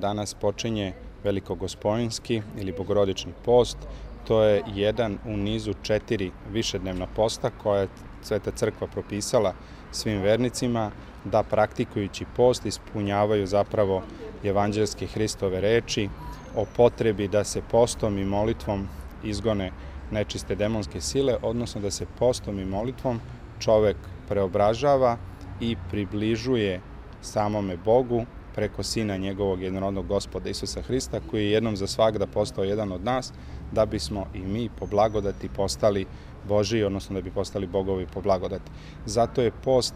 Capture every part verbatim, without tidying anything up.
Danas počinje Velikogospojinski ili Bogorodični post. To je jedan u nizu četiri višednevna posta koje je Sveta crkva propisala svim vernicima da praktikujući post ispunjavaju zapravo evanđelske Hristove reči o potrebi da se postom i molitvom izgone nečiste demonske sile, odnosno da se postom i molitvom čovek preobražava i približuje samome Bogu preko Sina njegovog jednorodnog Gospoda Isusa Hrista, koji je jednom za svagda postao jedan od nas, da bismo i mi po blagodati postali Božiji, odnosno da bi postali Bogovi po blagodati. Zato je post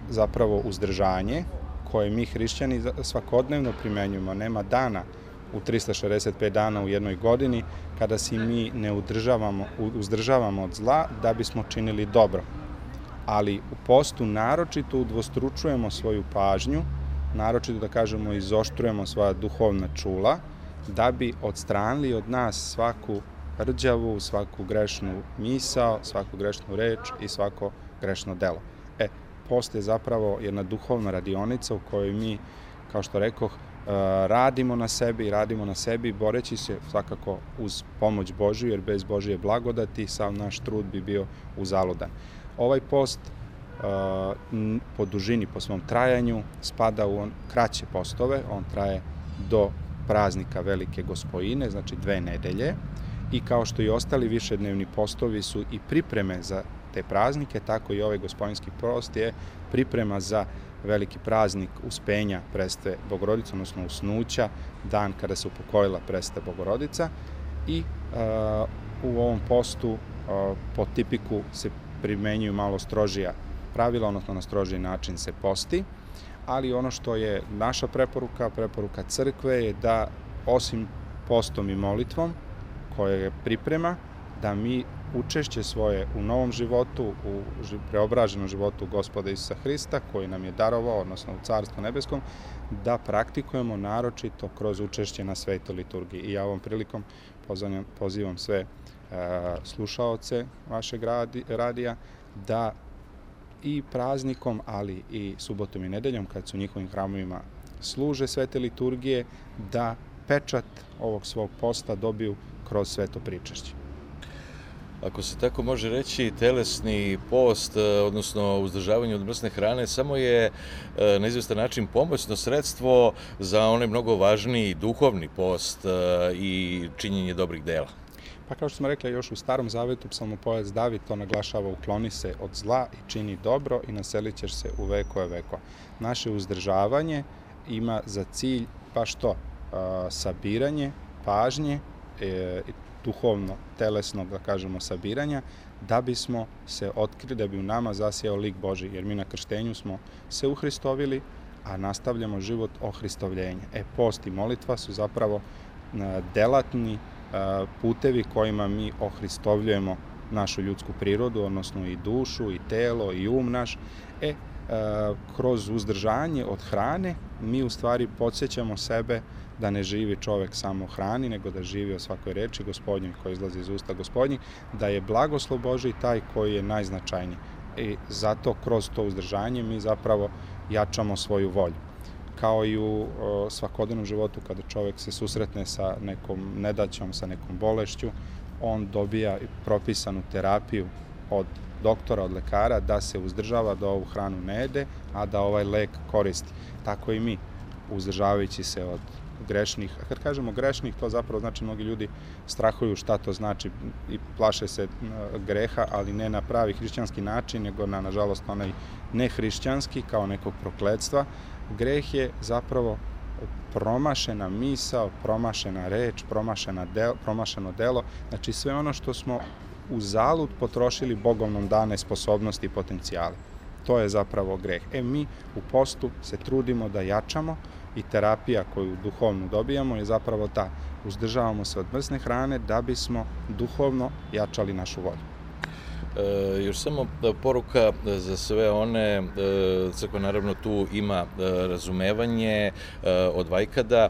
zapravo uzdržanje koje mi hrišćani svakodnevno primenjujemo. Nema dana u trista šezdeset pet dana u jednoj godini kada se mi ne uzdržavamo, uzdržavamo od zla da bismo činili dobro. Ali u postu naročito udvostručujemo svoju pažnju, naročito da kažemo izoštrujemo svoja duhovna čula, da bi odstranili od nas svaku rđavu, svaku grešnu misao, svaku grešnu reč i svako grešno delo. E, post je zapravo jedna duhovna radionica u kojoj mi, kao što rekoh, radimo na sebi, radimo na sebi, boreći se svakako uz pomoć Božju, jer bez Božje blagodati sav naš trud bi bio uzaludan. Ovaj post po dužini, po svom trajanju, spada u on kraće postove, on traje do praznika Velike Gospojine, znači dve nedelje, i kao što i ostali višednevni postovi su i pripreme za te praznike, tako i ovaj Gospojinski post je priprema za veliki praznik uspenja Presve Bogorodice, odnosno usnuća, dan kada se upokojila Presveta Bogorodica, i uh, u ovom postu uh, po tipiku se primenjuju malo strožija pravila, odnosno na strožiji način se posti, ali ono što je naša preporuka, preporuka crkve je da osim postom i molitvom koje je priprema, da mi učešće svoje u novom životu, u preobraženom životu Gospoda Isusa Hrista, koji nam je darovao, odnosno u Carstvu nebeskom, da praktikujemo naročito kroz učešće na Svetoj liturgiji. I ja ovom prilikom pozivam, pozivam sve uh, slušaoce vašeg radi, radija da i praznikom, ali i subotom i nedeljom, kad su u njihovim hramovima služe svete liturgije, da pečat ovog svog posta dobiju kroz sveto pričašće. Ako se tako može reći, telesni post, odnosno uzdržavanje od mrsne hrane, samo je na izvestan način pomoćno sredstvo za onaj mnogo važniji duhovni post i činjenje dobrih dela. Pa kao što smo rekli, još u Starom Zavetu psalmopojac David to naglašava: ukloni se od zla i čini dobro i naselit ćeš se u vekove vekova. Naše uzdržavanje ima za cilj baš to, sabiranje pažnje, duhovno, telesnog, da kažemo, sabiranja, da bismo se otkrili, da bi u nama zasijao lik Božji, jer mi na krštenju smo se uhristovili, a nastavljamo život ohristovljenja. E, post i molitva su zapravo delatni putevi kojima mi ohristovljujemo našu ljudsku prirodu, odnosno i dušu, i telo, i um naš. E, kroz uzdržanje od hrane mi u stvari podsjećamo sebe da ne živi čovek samo o hrani, nego da živi o svakoj reči Gospodnjoj koja izlazi iz usta Gospodnjih, da je blagoslov Božji taj koji je najznačajniji. I zato kroz to uzdržanje mi zapravo jačamo svoju volju. Kao i u svakodnevnom životu, kada čovek se susretne sa nekom nedaćom, sa nekom bolešću, on dobija propisanu terapiju od doktora, od lekara, da se uzdržava, da ovu hranu ne jede, a da ovaj lek koristi. Tako i mi, uzdržavajući se od grešnih, a kad kažemo grešnih, to zapravo znači mnogi ljudi strahuju šta to znači i plaše se greha, ali ne na pravi hrišćanski način, nego na, nažalost, onaj nehrišćanski, kao nekog prokletstva. Greh je zapravo promašena misao, promašena reč, promašena del, promašeno delo, znači sve ono što smo uzalud potrošili Bogom nam dane sposobnosti i potencijale. To je zapravo greh. E, mi u postu se trudimo da jačamo i terapija koju duhovno dobijamo je zapravo ta. Uzdržavamo se od mrsne hrane da bismo duhovno jačali našu volju. Još samo poruka za sve one, crkva naravno tu ima razumevanje od vajkada,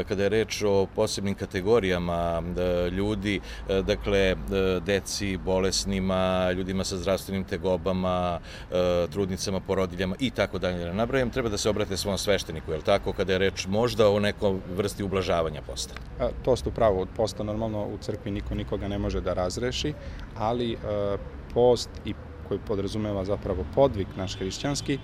kada je reč o posebnim kategorijama ljudi, dakle, deci, bolesnima, ljudima sa zdravstvenim tegobama, trudnicama, porodiljama i tako dalje. Nabrajam, treba da se obrate svom svešteniku, je li tako, kada je reč možda o nekoj vrsti ublažavanja posta? To ste upravo, od posta normalno u crkvi niko nikoga ne može da razreši, ali post i koji podrazumeva zapravo podvig naš hrišćanski,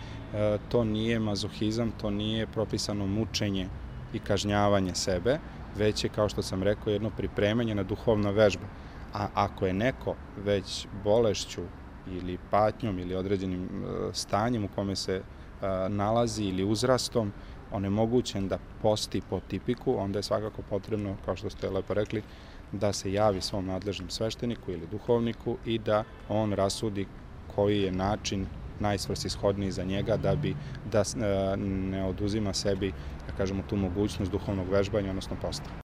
to nije mazohizam, to nije propisano mučenje i kažnjavanje sebe, već je, kao što sam rekao, jedno pripremanje na duhovna vežba. A ako je neko već bolešću ili patnjom ili određenim stanjem u kome se nalazi ili uzrastom onemogućen da posti po tipiku, onda je svakako potrebno, kao što ste lepo rekli, da se javi svom nadležnom svešteniku ili duhovniku i da on rasudi koji je način najsvrsishodniji za njega da bi da ne oduzima sebi, da kažemo, tu mogućnost duhovnog vežbanja, odnosno posta.